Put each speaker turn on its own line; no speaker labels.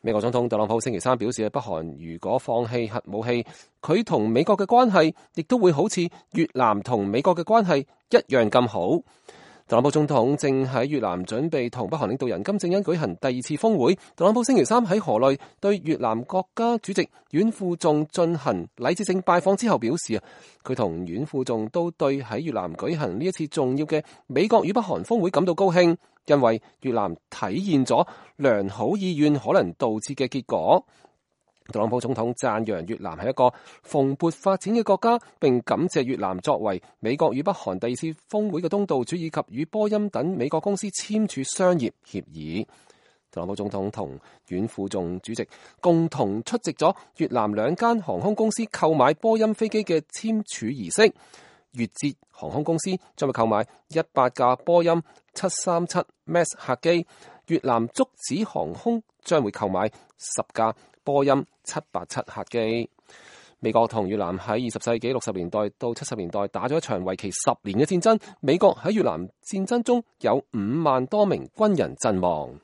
美國總統特朗普星期三表示，北韓如果放棄核武器，佢同美國嘅關係亦都會好似越南同美國嘅關係一樣咁好。特朗普總統正喺越南準備同北韓領導人金正恩舉行第二次峰會。特朗普星期三喺河內對越南國家主席阮富仲進行禮節性拜訪之後表示，佢同阮富仲都對喺越南舉行呢一次重要嘅美國與北韓峰會感到高興，因為越南體現咗良好意願可能導致嘅結果。特朗普總統讚揚越南係一個蓬勃發展嘅國家，並感謝越南作為美國與北韓第二次峰會嘅東道主，以及與波音等美國公司簽署商業協議。特朗普總統同阮富仲主席共同出席咗越南兩間航空公司購買波音飛機嘅簽署儀式。越捷航空公司將會購買100架波音737 MAX 客機，越南竹子航空將會購買10架波音787客機。美國同越南喺20世紀60年代到70年代打咗一場為期10年嘅戰爭。美國喺越南戰爭中有5萬多名軍人陣亡。